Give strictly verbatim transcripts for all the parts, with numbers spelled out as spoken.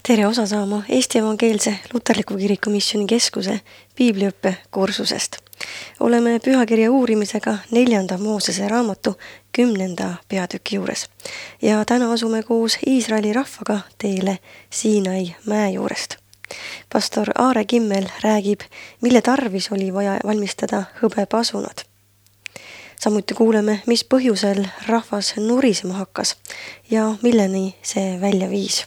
Tere osa saama Eesti Evangeelse Luterliku Kiriku Missiooni Keskuse piibliõppe kursusest. Oleme pühakirja uurimisega neljanda Moosese raamatu kümnenda peatüki juures. Ja täna asume koos Iisraeli rahvaga teele Siinai mäe juurest. Pastor Aare Kimmel räägib, mille tarvis oli vaja valmistada hõbepasunad. Samuti kuuleme, mis põhjusel rahvas nurisema hakkas ja milleni see välja viis.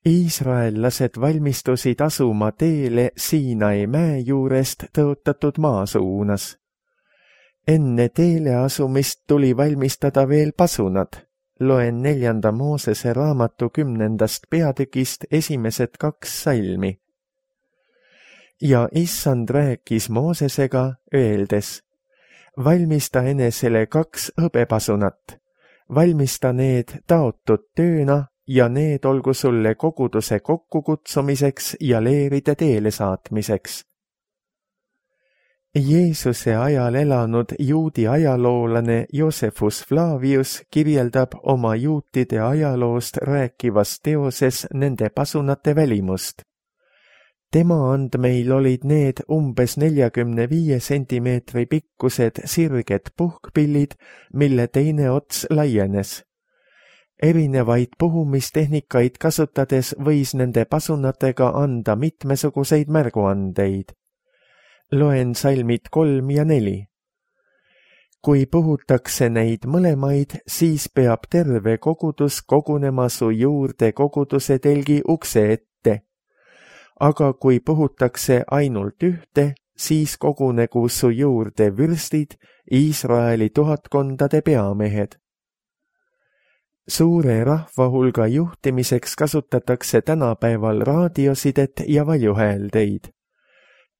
Iisraellased valmistusid asuma teele Siinai mäe juurest tõotatud maa suunas. Enne teele asumist tuli valmistada veel pasunad. Loen neljanda Moosese raamatu kümnendast peatükist esimesed kaks salmi. Ja issand rääkis Moosesega, öeldes, valmista enesele kaks hõbepasunat, valmista need taotud tööna ja need olgu sulle koguduse kokkukutsumiseks ja leeride teele saatmiseks. Jeesuse ajal elanud juudi ajaloolane Josephus Flavius kirjeldab oma juutide ajaloost rääkivas teoses nende pasunate välimust. Tema andmeil olid need umbes neljakümne viie sentimeetri pikkused sirged puhkpillid, mille teine ots laienes. Erinevaid puhumistehnikaid kasutades võis nende pasunatega anda mitmesuguseid märguandeid. Loen salmid kolm ja neli. Kui puhutakse neid mõlemaid, siis peab terve kogudus kogunema su juurde koguduse telgi ukse ette. Aga kui puhutakse ainult ühte, siis kogunegu su juurde vürstid, Iisraeli tuhatkondade peamehed. Suure rahvahulga juhtimiseks kasutatakse tänapäeval raadiosidet ja valjuhääldeid.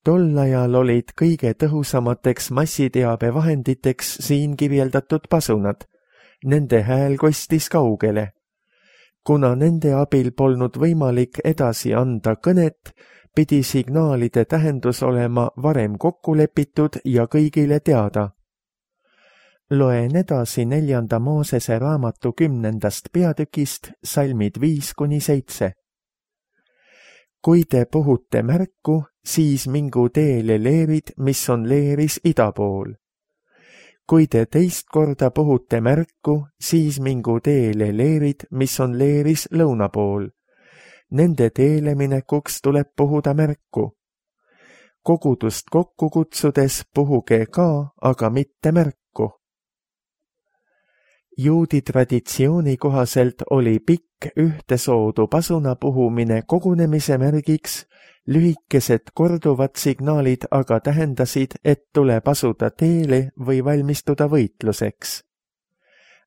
Tol ajal olid kõige tõhusamateks massiteabevahenditeks siin kirjeldatud pasunad. Nende hääl kostis kaugele. Kuna nende abil polnud võimalik edasi anda kõnet, pidi signaalide tähendus olema varem kokku lepitud ja kõigile teada. Loen edasi neljanda Moosese raamatu kümnendast peatükist salmid viis kuni seitse. Kui te puhute märku, siis mingu teele leerid, mis on leeris ida pool. Kui te teist korda puhute märku, siis mingu teele leerid, mis on leeris lõuna pool. Nende teele minekuks tuleb puhuda märku. Kogudust kokku kutsudes puhuge ka, aga mitte märku. Juudi traditsiooni kohaselt oli pikk ühtesoodu pasuna puhumine kogunemise märgiks, lühikesed korduvad signaalid aga tähendasid, et tuleb asuda teele või valmistuda võitluseks.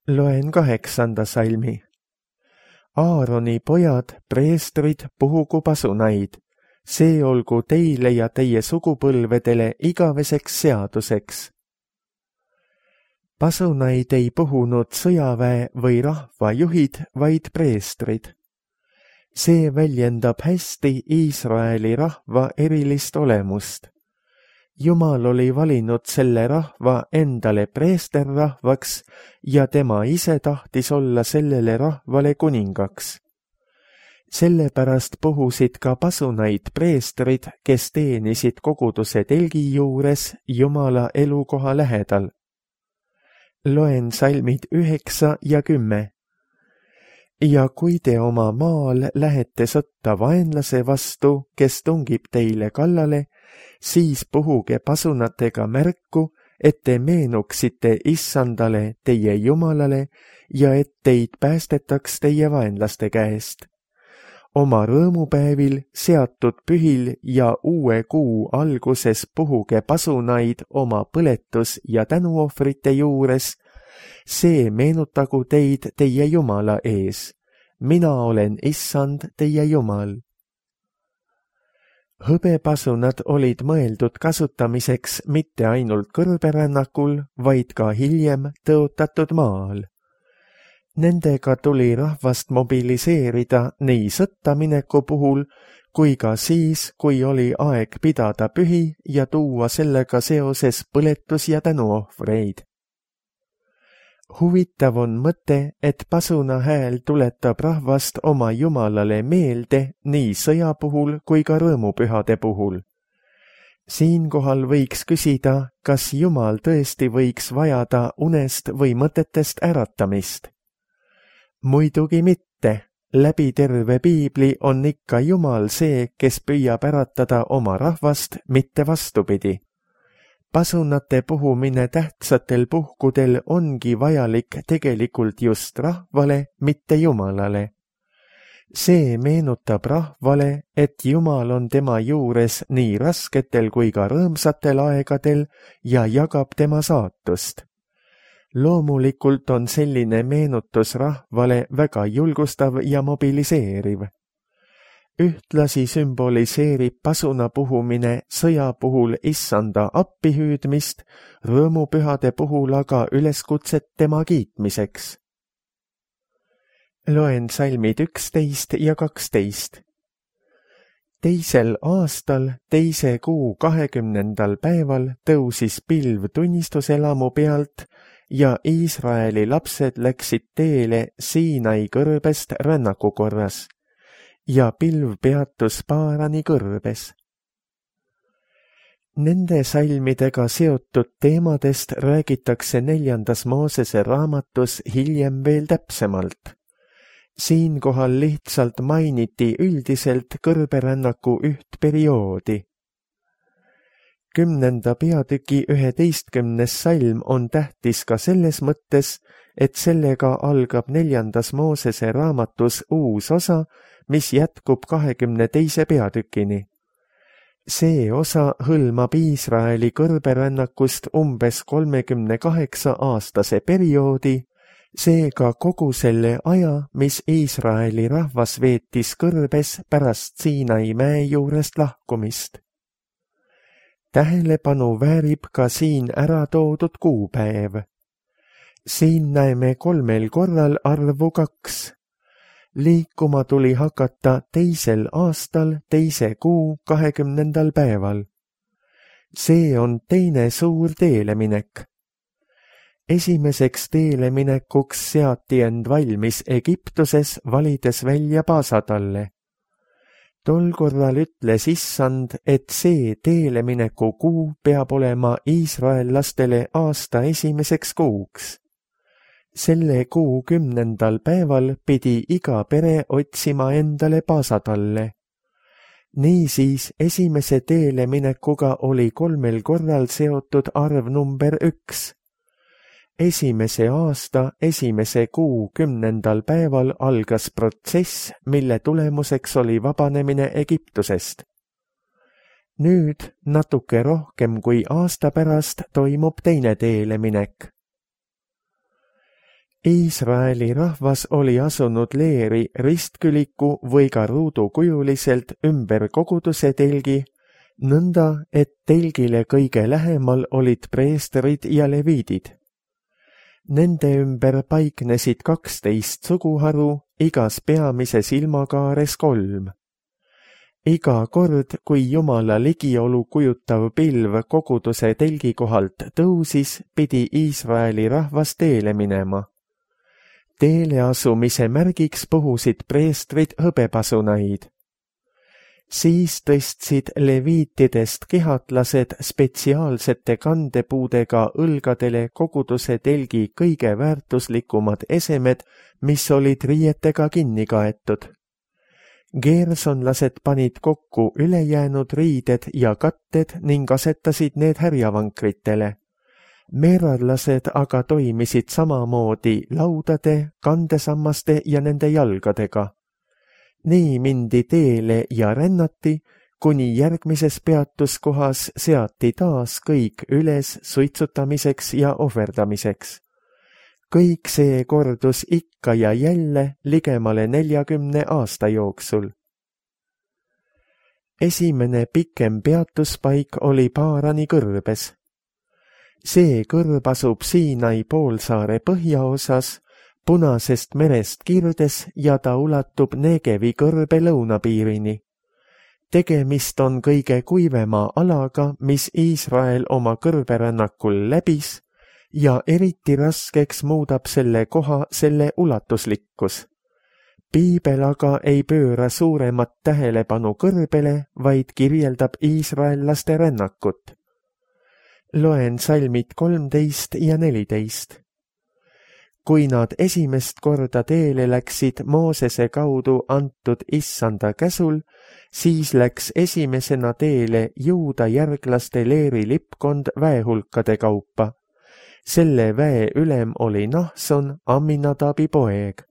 Loen kaheksanda salmi. Aaroni pojad, preestrid, puhugu pasunaid. See olgu teile ja teie sugupõlvedele igaveseks seaduseks. Pasunaid ei puhunud sõjaväe või rahvajuhid, vaid preestrid. See väljendab hästi Iisraeli rahva erilist olemust. Jumal oli valinud selle rahva endale preesterrahvaks ja tema ise tahtis olla sellele rahvale kuningaks. Sellepärast puhusid ka pasunaid preestrid, kes teenisid koguduse telgi juures Jumala elukoha lähedal. Loen salmid üheksa ja kümme. Ja kui te oma maal lähete sõtta vaenlase vastu, kes tungib teile kallale, siis puhuge pasunatega märku, et te meenuksite issandale teie Jumalale ja et teid päästetaks teie vaenlaste käest. Oma rõõmupäevil, seatud pühil ja uue kuu alguses puhuge pasunaid oma põletus- ja tänuohvrite juures. See meenutagu teid teie Jumala ees. Mina olen issand teie Jumal. Hõbepasunad olid mõeldud kasutamiseks mitte ainult kõrberännakul, vaid ka hiljem tõotatud maal. Nendega tuli rahvast mobiliseerida nii sõttamineku puhul, kui ka siis, kui oli aeg pidada pühi ja tuua sellega seoses põletus- ja tänuohvreid. huvitav on mõte, et pasuna hääl tuletab rahvast oma Jumalale meelde nii sõja puhul kui ka rõõmupühade puhul. Siinkohal võiks küsida, kas Jumal tõesti võiks vajada unest või mõtetest äratamist. Muidugi mitte, läbi terve piibli on ikka Jumal see, kes püüab äratada oma rahvast, mitte vastupidi. Pasunate puhumine tähtsatel puhkudel ongi vajalik tegelikult just rahvale, mitte Jumalale. See meenutab rahvale, et Jumal on tema juures nii rasketel kui ka rõõmsatel aegadel ja jagab tema saatust. Loomulikult on selline meenutus rahvale väga julgustav ja mobiliseeriv. Ühtlasi sümboliseerib pasuna puhumine sõja puhul issanda appihüüdmist, rõõmupühade puhul aga üleskutset tema kiitmiseks. Loen salmid üksteist ja kaksteist. Teisel aastal, teise kuu kahekümnendal päeval tõusis pilv tunnistuselamu pealt ja Iisraeli lapsed läksid teele Siinai kõrbest rännaku korras ja pilv peatus Paarani kõrbes. Nende salmidega seotud teemadest räägitakse neljandas Moosese raamatus hiljem veel täpsemalt. Siinkohal lihtsalt mainiti üldiselt kõrberännaku üht perioodi. Kümnenda peatüki üheteistkümnes salm on tähtis ka selles mõttes, et sellega algab neljandas Moosese raamatus uus osa, mis jätkub kahekümne teise peatükini. See osa hõlmab Iisraeli kõrberännakust umbes kolmekümne kaheksa aastase perioodi, seega kogu selle aja, mis Iisraeli rahvas veetis kõrbes pärast Siinai mäe juurest lahkumist. Tähelepanu väärib ka siin ära toodud kuupäev. Siin näeme kolmel korral arvu kaks. Liikuma tuli hakata teisel aastal, teise kuu kahekümnendal päeval. See on teine suur teeleminek. Esimeseks teeleminekuks seati end valmis Egiptuses, valides välja paasatalle. Tol korral ütles issand, et see teelemineku kuu peab olema iisraellastele aasta esimeseks kuuks. Selle kuu kümnendal päeval pidi iga pere otsima endale paasatalle. Niisiis esimese teeleminekuga oli kolmel korral seotud arv number üks. Esimese aasta esimese kuu kümnendal päeval algas protsess, mille tulemuseks oli vabanemine Egiptusest. Nüüd, natuke rohkem kui aasta pärast, toimub teine teeleminek. Iisraeli rahvas oli asunud leeri ristküliku või ka ruudukujuliselt ümber koguduse telgi, nõnda, et telgile kõige lähemal olid preestrid ja leviidid. Nende ümber paiknesid kaksteist suguharu, igas peamises ilmakaares kolm. Iga kord, kui Jumala ligiolu kujutav pilv koguduse telgi kohalt tõusis, pidi Iisraeli rahvas teele minema. Teele asumise märgiks puhusid preestrid hõbepasunaid. Siis tõstsid leviitidest kihatlased spetsiaalsete kandepuudega õlgadele koguduse telgi kõige väärtuslikumad esemed, mis olid riietega kinni kaetud. Geersonlased panid kokku ülejäänud riided ja katted ning asetasid need härjavankritele. Meerarlased aga toimisid samamoodi laudade, kandesammaste ja nende jalgadega. Nii mindi teele ja rännati, kuni järgmises peatuskohas seati taas kõik üles suitsutamiseks ja ohverdamiseks. Kõik see kordus ikka ja jälle ligemale neljakümne aasta jooksul. Esimene pikem peatuspaik oli Paarani kõrbes. See kõrb asub Siinai poolsaare põhjaosas, Punasest merest kirdes ja ta ulatub Negevi kõrbe lõunapiirini. Tegemist on kõige kuivema alaga, mis Iisrael oma kõrberännakul läbis, ja eriti raskeks muudab selle koha selle ulatuslikkus. Piibel aga ei pööra suuremat tähelepanu kõrbele, vaid kirjeldab iisraellaste rännakut. Loen salmid kolmteist ja neliteist. Kui nad esimest korda teele läksid Moosese kaudu antud issanda käsul, siis läks esimesena teele Juuda järglaste Leeri lipkond väehulkade kaupa. Selle väe ülem oli Nahson, Amminadabi poeg.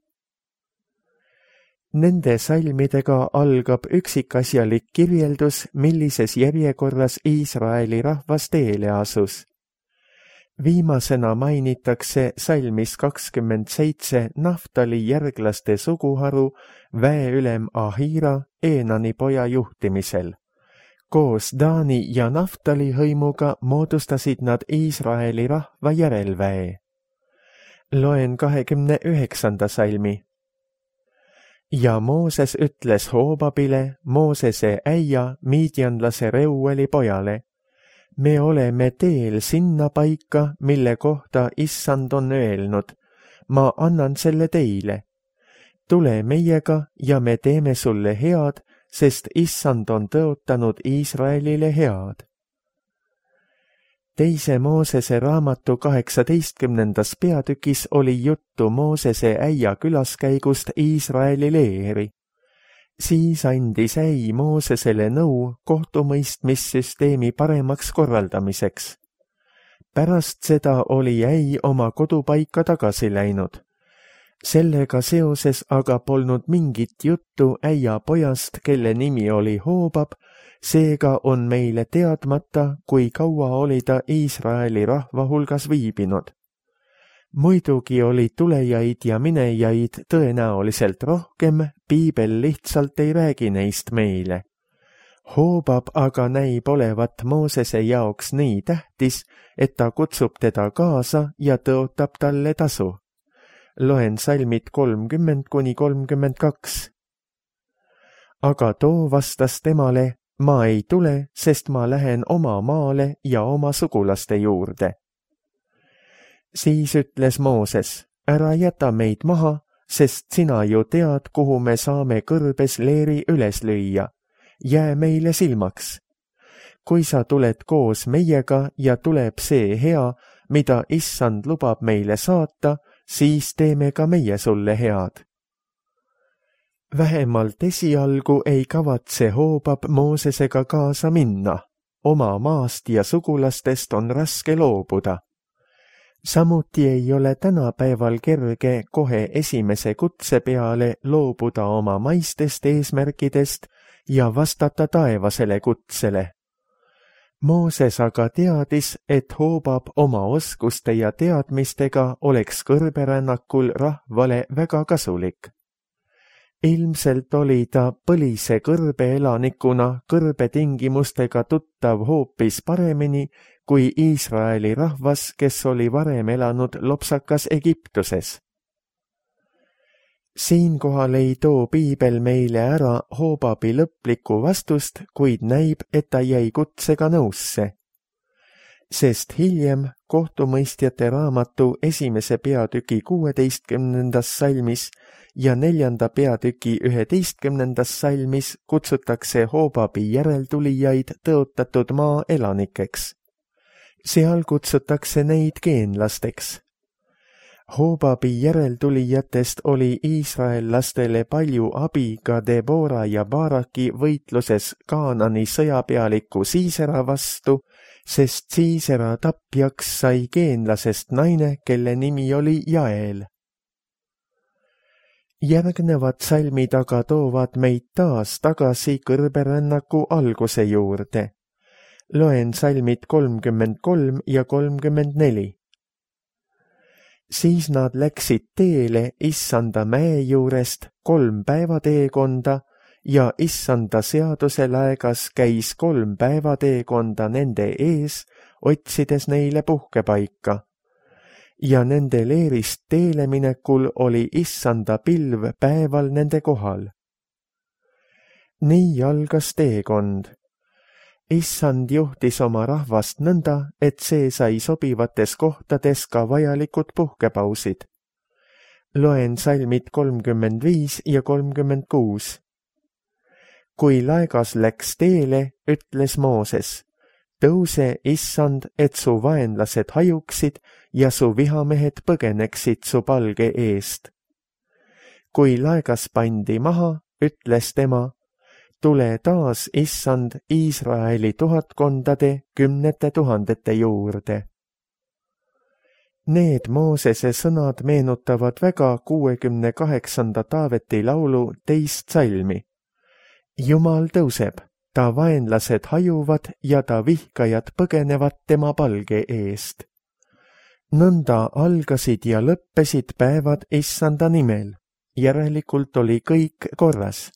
Nende salmidega algab üksikasjalik kirjeldus, millises järjekorras Iisraeli rahvas teele asus. Viimasena mainitakse salmis kakskümmend seitse Naftali järglaste suguharu väeülem Ahira Eenani poja juhtimisel. Koos Daani ja Naftali hõimuga moodustasid nad Iisraeli rahva järelväe. Loen kahekümne üheksanda salmi. Ja Mooses ütles Hoobabile, Moosese äia, miidjanlase Reueli pojale: me oleme teel sinna paika, mille kohta issand on öelnud, ma annan selle teile. Tule meiega ja me teeme sulle head, sest issand on tõotanud Iisraelile head. Teise Moosese raamatu kaheksateistkümnendas peatükis oli juttu Moosese äia külaskäigust Iisraeli leeri. Siis andis äi Moosesele nõu kohtumõistmissüsteemi paremaks korraldamiseks. Pärast seda oli äi oma kodupaika tagasi läinud. Sellega seoses aga polnud mingit juttu äia pojast, kelle nimi oli Hoobab, seega on meile teadmata, kui kaua oli ta Iisraeli rahva hulgas viibinud. Muidugi oli tulejaid ja minejaid tõenäoliselt rohkem, piibel lihtsalt ei räägi neist meile. Hoobab aga näib olevat Moosese jaoks nii tähtis, et ta kutsub teda kaasa ja tõotab talle tasu. Loen salmid kolmkümmend kuni kolmkümmend kaks. Aga too vastas temale: ma ei tule, sest ma lähen oma maale ja oma sugulaste juurde. Siis ütles Mooses: ära jäta meid maha, sest sina ju tead, kuhu me saame kõrbes leeri üles lüüa. Jää meile silmaks. Kui sa tuled koos meiega ja tuleb see hea, mida issand lubab meile saata, siis teeme ka meie sulle head. Vähemalt esialgu ei kavatse Hoobab Moosesega kaasa minna. Oma maast ja sugulastest on raske loobuda. Samuti ei ole tänapäeval kerge kohe esimese kutse peale loobuda oma maistest eesmärkidest ja vastata taevasele kutsele. Mooses aga teadis, et Hoobab oma oskuste ja teadmistega oleks kõrberännakul rahvale väga kasulik. Ilmselt oli ta põlise kõrbeelanikuna kõrbetingimustega tuttav hoopis paremini kui Iisraeli rahvas, kes oli varem elanud lopsakas Egiptuses. Siinkohal ei too piibel meile ära Hoobabi lõplikku vastust, kuid näib, et ta jäi kutsega nõusse. Sest hiljem kohtumõistjate raamatu esimese peatüki kuueteistkümnendas salmis ja neljanda peatüki üheteistkümnendas salmis kutsutakse Hoobabi järeltulijaid tõotatud maa elanikeks. Seal kutsutakse neid geenlasteks. Hoobabi järeltulijatest oli iisraellastele palju abi ka Debora ja Baraki võitluses Kaanani sõjapealiku Siisera vastu, sest Siisera tapjaks sai geenlasest naine, kelle nimi oli Jael. Järgnevad salmid aga toovad meid taas tagasi kõrberännaku alguse juurde. Loen salmid kolmkümmend kolm ja kolmkümmend neli. Siis nad läksid teele issanda mäe juurest kolm päeva teekonda ja issanda seaduse laegas käis kolm päeva teekonda nende ees, otsides neile puhkepaika. Ja nende leerist teele minekul oli issanda pilv päeval nende kohal. Nii algas teekond. Issand juhtis oma rahvast nõnda, et see sai sobivates kohtades ka vajalikud puhkepausid. Loen salmid kolmkümmend viis ja kolmkümmend kuus. Kui laegas läks teele, ütles Mooses, tõuse, Issand, et su vaenlased hajuksid ja su vihamehed põgeneksid su palge eest. Kui laegas pandi maha, ütles tema, tule taas, Issand, Iisraeli tuhatkondade kümnete tuhandete juurde. Need Moosese sõnad meenutavad väga kuuekümne kaheksanda Taaveti laulu teist salmi. Jumal tõuseb, ta vaenlased hajuvad ja ta vihkajad põgenevad tema palge eest. Nõnda algasid ja lõppesid päevad Issanda nimel, järelikult oli kõik korras.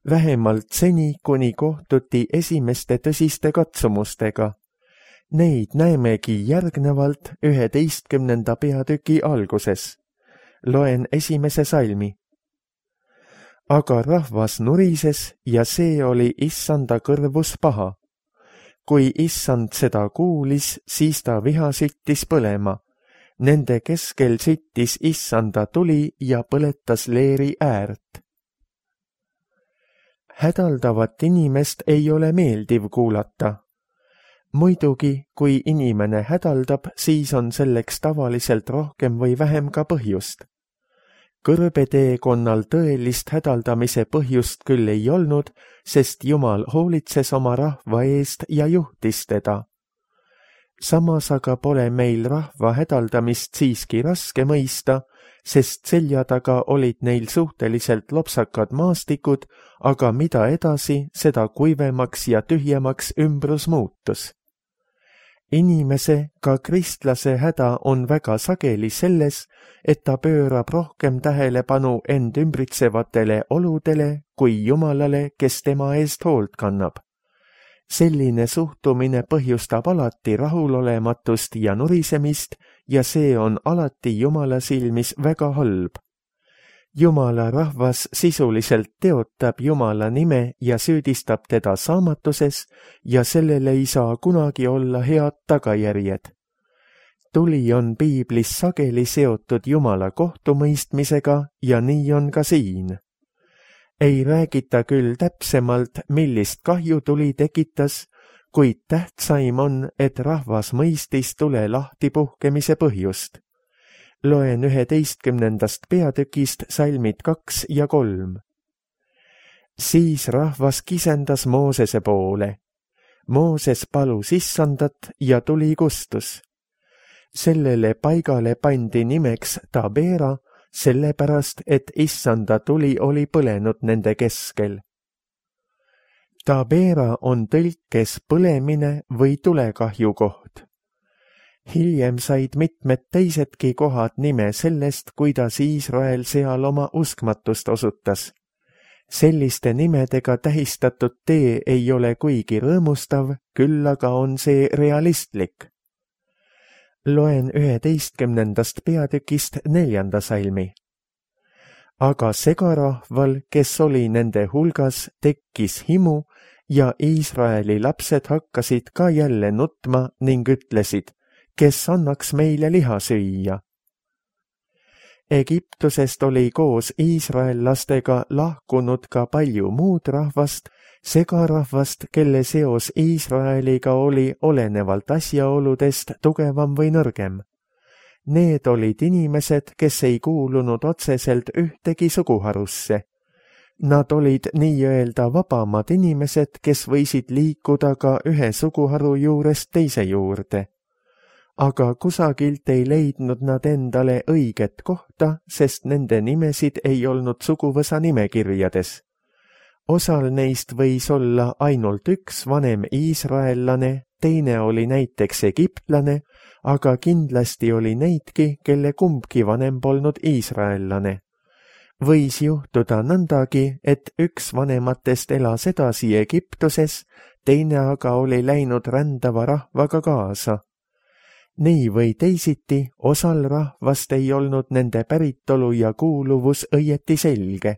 Vähemalt seni, kuni kohtuti esimeste tõsiste katsumustega. Neid näemegi järgnevalt üheteistkümnenda peatüki alguses. Loen esimese salmi. Aga rahvas nurises ja see oli Issanda kõrvus paha. Kui Issand seda kuulis, siis ta viha süttis põlema. Nende keskel süttis Issanda tuli ja põletas leeri äärt. Hädaldavat inimest ei ole meeldiv kuulata. Muidugi, kui inimene hädaldab, siis on selleks tavaliselt rohkem või vähem ka põhjust. Kõrbeteekonnal tõelist hädaldamise põhjust küll ei olnud, sest Jumal hoolitses oma rahva eest ja juhtis teda. Samas aga pole meil rahva hädaldamist siiski raske mõista, sest selja taga olid neil suhteliselt lopsakad maastikud, aga mida edasi, seda kuivemaks ja tühjemaks ümbrus muutus. Inimese, ka kristlase häda on väga sageli selles, et ta pöörab rohkem tähelepanu end ümbritsevatele oludele kui Jumalale, kes tema eest hoolt kannab. Selline suhtumine põhjustab alati rahulolematust ja nurisemist ja see on alati Jumala silmis väga halb. Jumala rahvas sisuliselt teotab Jumala nime ja süüdistab teda saamatuses ja sellele ei saa kunagi olla head tagajärjed. Tuli on piiblis sageli seotud Jumala kohtumõistmisega ja nii on ka siin. Ei räägita küll täpsemalt, millist kahju tuli tekitas, kuid tähtsaim on, et rahvas mõistis tule lahtipuhkemise põhjust. Loen üheteistkümnendast peatükist salmid kaks ja kolm. Siis rahvas kisendas Moosese poole. Mooses palus Issandat ja tuli kustus. Sellele paigale pandi nimeks Tabeera, sellepärast, et Issanda tuli oli põlenud nende keskel. Tabeera on tõlkes põlemine või tulekahju koht. Hiljem said mitmed teisedki kohad nime sellest, kuidas Iisrael seal oma uskmatust osutas. Selliste nimedega tähistatud tee ei ole kuigi rõõmustav, küll aga on see realistlik. Loen üheteistkümnendast peatükist neljanda salmi. Aga segarahval, kes oli nende hulgas, tekkis himu ja Iisraeli lapsed hakkasid ka jälle nutma ning ütlesid, kes annaks meile liha süüa. Egiptusest oli koos iisraellastega lahkunud ka palju muud rahvast, segarahvast, kelle seos Iisraeliga oli olenevalt asjaoludest tugevam või nõrgem. Need olid inimesed, kes ei kuulunud otseselt ühtegi suguharusse. Nad olid nii-öelda vabamad inimesed, kes võisid liikuda ka ühe suguharu juurest teise juurde. Aga kusagilt ei leidnud nad endale õiget kohta, sest nende nimesid ei olnud suguvõsa nimekirjades. Osal neist võis olla ainult üks vanem iisraellane, teine oli näiteks egiptlane, aga kindlasti oli neidki, kelle kumbki vanem polnud iisraellane. Võis juhtuda nõndagi, et üks vanematest elas edasi Egiptuses, teine aga oli läinud rändava rahvaga kaasa. Nii või teisiti, osal rahvast ei olnud nende päritolu ja kuuluvus õieti selge.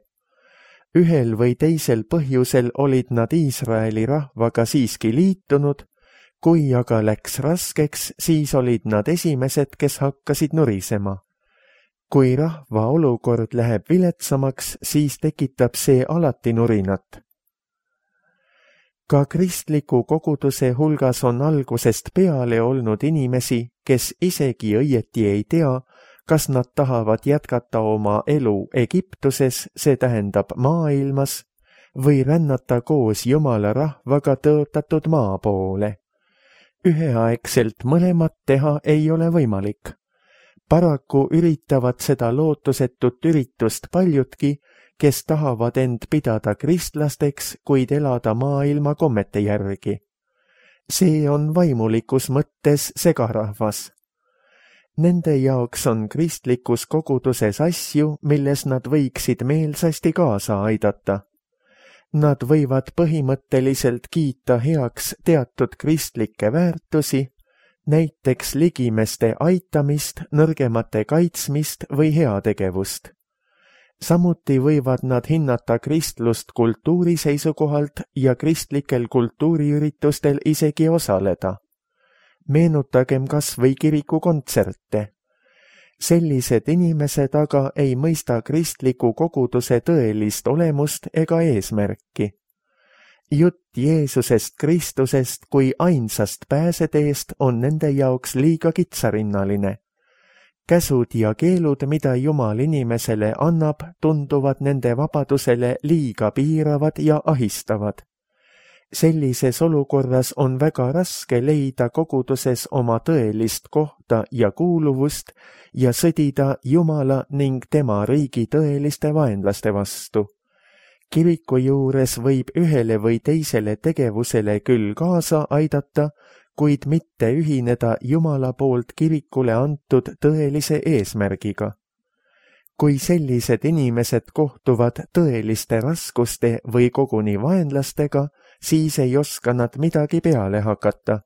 ühel või teisel põhjusel olid nad Iisraeli rahvaga siiski liitunud, kui aga läks raskeks, siis olid nad esimesed, kes hakkasid nurisema. Kui rahva olukord läheb viletsamaks, siis tekitab see alati nurinat. Ka kristliku koguduse hulgas on algusest peale olnud inimesi, kes isegi õieti ei tea, kas nad tahavad jätkata oma elu Egiptuses, see tähendab maailmas, või rännata koos Jumala rahvaga tõotatud maa poole. Üheaegselt mõlemat teha ei ole võimalik. Paraku üritavad seda lootusetut üritust paljudki, kes tahavad end pidada kristlasteks, kuid elada maailma kommete järgi. See on vaimulikus mõttes segarahvas. Nende jaoks on kristlikus koguduses asju, milles nad võiksid meelsasti kaasa aidata. Nad võivad põhimõtteliselt kiita heaks teatud kristlikke väärtusi, näiteks ligimeste aitamist, nõrgemate kaitsmist või heategevust. Samuti võivad nad hinnata kristlust kultuuri seisukohalt ja kristlikel kultuuriüritustel isegi osaleda. Meenutagem kas või kirikukontserte. Sellised inimesed aga ei mõista kristliku koguduse tõelist olemust ega eesmärki. Jutt Jeesusest Kristusest kui ainsast pääseteest on nende jaoks liiga kitsarinnaline. Käsud ja keelud, mida Jumal inimesele annab, tunduvad nende vabadusele liiga piiravad ja ahistavad. Sellises olukorras on väga raske leida koguduses oma tõelist kohta ja kuuluvust ja sõdida Jumala ning tema riigi tõeliste vaenlaste vastu. Kiriku juures võib ühele või teisele tegevusele küll kaasa aidata, kuid mitte ühineda Jumala poolt kirikule antud tõelise eesmärgiga. Kui sellised inimesed kohtuvad tõeliste raskuste või koguni vaenlastega, siis ei oska nad midagi peale hakata.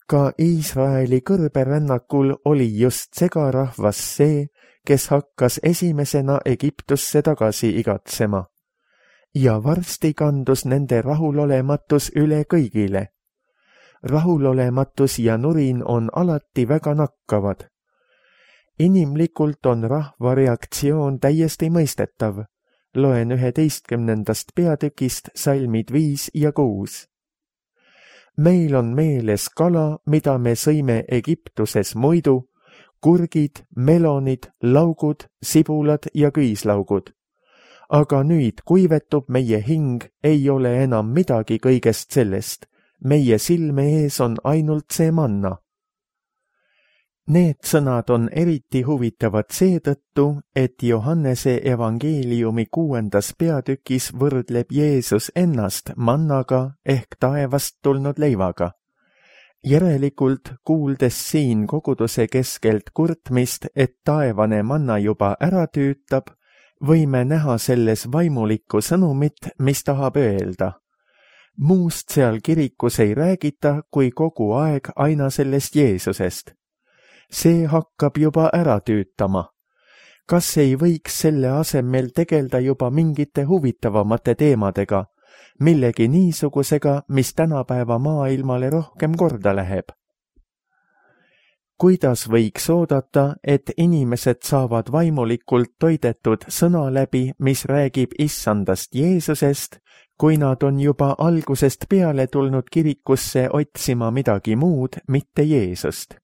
Ka Iisraeli kõrberännakul oli just segarahvas see, kes hakkas esimesena Egiptusse tagasi igatsema. Ja varsti kandus nende rahulolematus üle kõigile. Rahulolematus ja nurin on alati väga nakkavad. Inimlikult on rahva reaktsioon täiesti mõistetav. Loen üheteistkümnendast peatükist salmid viis ja kuus. Meil on meeles kala, mida me sõime Egiptuses muidu, kurgid, melonid, laugud, sibulad ja küüslaugud. Aga nüüd kuivetub meie hing, ei ole enam midagi kõigest sellest. Meie silme ees on ainult see manna. Need sõnad on eriti huvitavad seetõttu, et Johannese evangeeliumi kuuendas peatükis võrdleb Jeesus ennast mannaga ehk taevast tulnud leivaga. Järelikult, kuuldes siin koguduse keskelt kurtmist, et taevane manna juba ära tüütab, võime näha selles vaimulikku sõnumit, mis tahab öelda. Muust seal kirikus ei räägita, kui kogu aeg aina sellest Jeesusest. See hakkab juba ära tüütama. Kas ei võiks selle asemel tegelda juba mingite huvitavamate teemadega, millegi niisugusega, mis tänapäeva maailmale rohkem korda läheb? Kuidas võiks oodata, et inimesed saavad vaimulikult toidetud sõna läbi, mis räägib issandast Jeesusest, kui nad on juba algusest peale tulnud kirikusse otsima midagi muud, mitte Jeesust?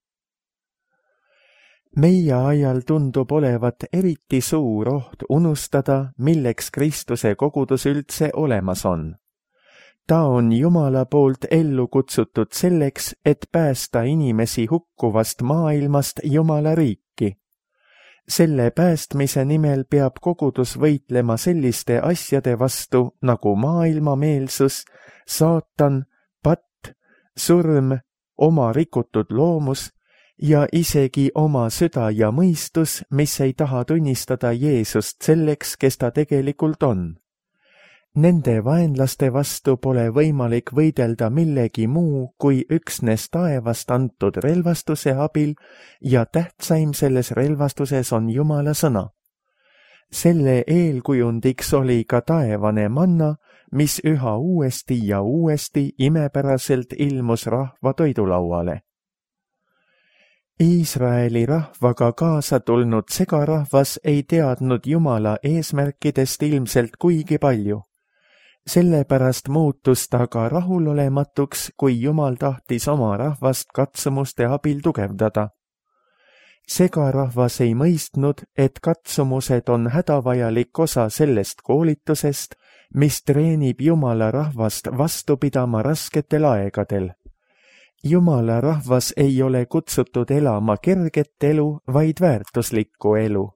Meie ajal tundub olevat eriti suur oht unustada, milleks Kristuse kogudus üldse olemas on. Ta on Jumala poolt ellu kutsutud selleks, et päästa inimesi hukkuvast maailmast Jumala riiki. Selle päästmise nimel peab kogudus võitlema selliste asjade vastu nagu maailmameelsus, saatan, patt, surm, oma rikutud loomus ja isegi oma süda ja mõistus, mis ei taha tunnistada Jeesust selleks, kes ta tegelikult on. Nende vaenlaste vastu pole võimalik võidelda millegi muu kui üksnes taevast antud relvastuse abil ja tähtsaim selles relvastuses on Jumala sõna. selle eelkujundiks oli ka taevane manna, mis üha uuesti ja uuesti imepäraselt ilmus rahva toidulauale. Iisraeli rahvaga kaasa tulnud segarahvas ei teadnud Jumala eesmärkidest ilmselt kuigi palju. Sellepärast muutus ta ka rahulolematuks, kui Jumal tahtis oma rahvast katsumuste abil tugevdada. Segarahvas ei mõistnud, et katsumused on hädavajalik osa sellest koolitusest, mis treenib Jumala rahvast vastu pidama rasketel aegadel. Jumala rahvas ei ole kutsutud elama kerget elu, vaid väärtuslikku elu.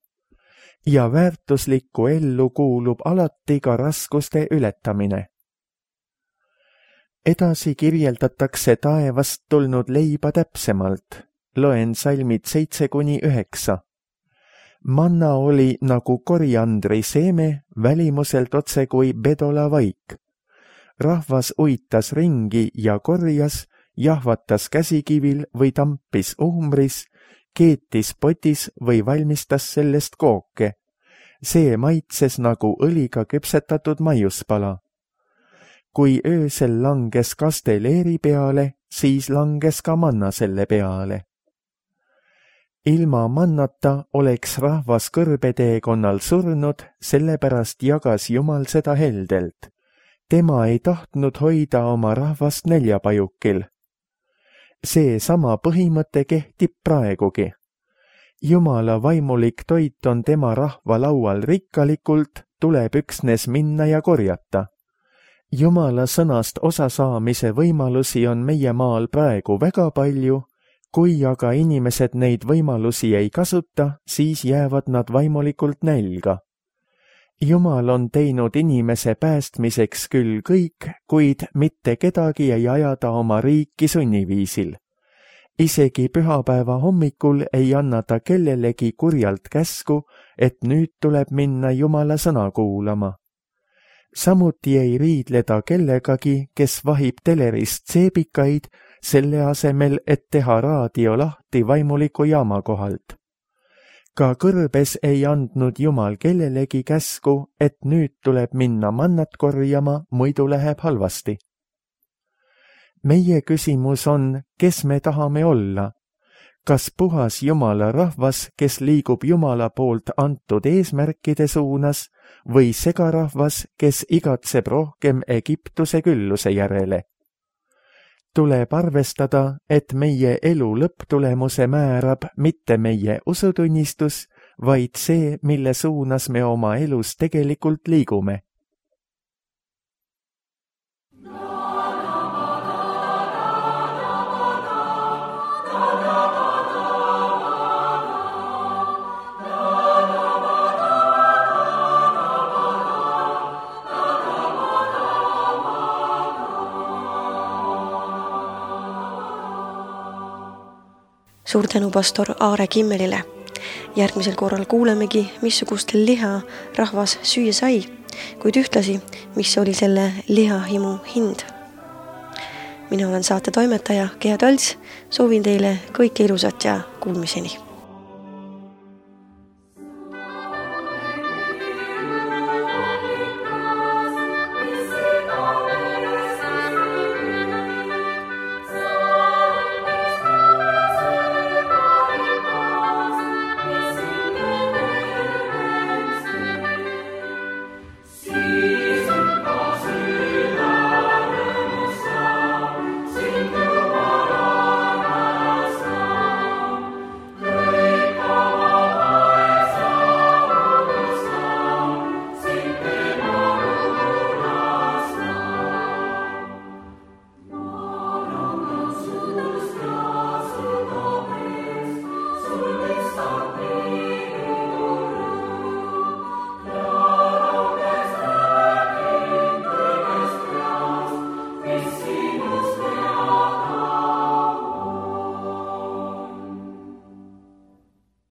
Ja väärtuslikku ellu kuulub alati ka raskuste ületamine. Edasi kirjeldatakse taevast tulnud leiba täpsemalt. Loen salmid seitse kuni üheksa. Manna oli nagu koriandri seeme, välimuselt otse kui bedola vaik. Rahvas uitas ringi ja korjas, jahvatas käsikivil või tampis uhmris, keetis potis või valmistas sellest kooke. See maitses nagu õliga küpsetatud maiuspala. Kui öösel langes kaste leeri peale, siis langes ka manna selle peale. Ilma mannata oleks rahvas kõrbeteekonnal surnud, sellepärast jagas Jumal seda heldelt. Tema ei tahtnud hoida oma rahvast näljapajukil. See sama põhimõte kehtib praegugi. Jumala vaimulik toit on tema rahva laual rikkalikult, tuleb üksnes minna ja korjata. Jumala sõnast osasaamise võimalusi on meie maal praegu väga palju, kui aga inimesed neid võimalusi ei kasuta, siis jäävad nad vaimulikult nälga. Jumal on teinud inimese päästmiseks küll kõik, kuid mitte kedagi ei ajada oma riiki sunniviisil. Isegi pühapäeva hommikul ei anna ta kellelegi kurjalt käsku, et nüüd tuleb minna Jumala sõna kuulama. Samuti ei riidle ta kellegagi, kes vahib telerist seebikaid, selle asemel, et teha raadio lahti vaimuliku jaama kohalt. Ka kõrbes ei andnud Jumal kellelegi käsku, et nüüd tuleb minna mannat korjama, muidu läheb halvasti. Meie küsimus on, kes me tahame olla? Kas puhas Jumala rahvas, kes liigub Jumala poolt antud eesmärkide suunas, või segarahvas, kes igatseb rohkem Egiptuse külluse järele? Tuleb arvestada, et meie elu lõpptulemuse määrab mitte meie usutunnistus, vaid see, mille suunas me oma elus tegelikult liigume. Suur tänu pastor Aare Kimmelile. Järgmisel korral kuulemegi, missugustel liha rahvas süüa sai, kuid ühtlasi, mis oli selle lihahimu hind. Mina olen saate toimetaja Gea Tolts, soovin teile kõike ilusat ja kuulmiseni.